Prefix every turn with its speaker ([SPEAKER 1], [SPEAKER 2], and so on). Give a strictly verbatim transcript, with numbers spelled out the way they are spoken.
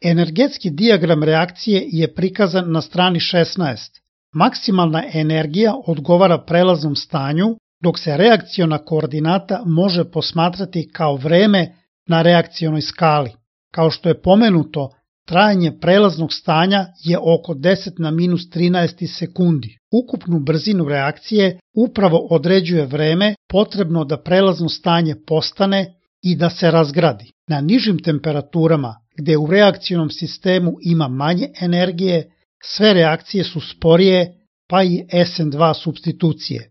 [SPEAKER 1] Energetski dijagram reakcije je prikazan na strani šesnaest. Maksimalna energija odgovara prelaznom stanju, dok se reakciona koordinata može posmatrati kao vreme na reakcionoj skali. Kao što je pomenuto, trajanje prelaznog stanja je oko deset na minus trinaest sekundi. Ukupnu brzinu reakcije upravo određuje vreme potrebno da prelazno stanje postane i da se razgradi. Na nižim temperaturama, gde u reakcionom sistemu ima manje energije, sve reakcije su sporije, pa i es en dva supstitucije.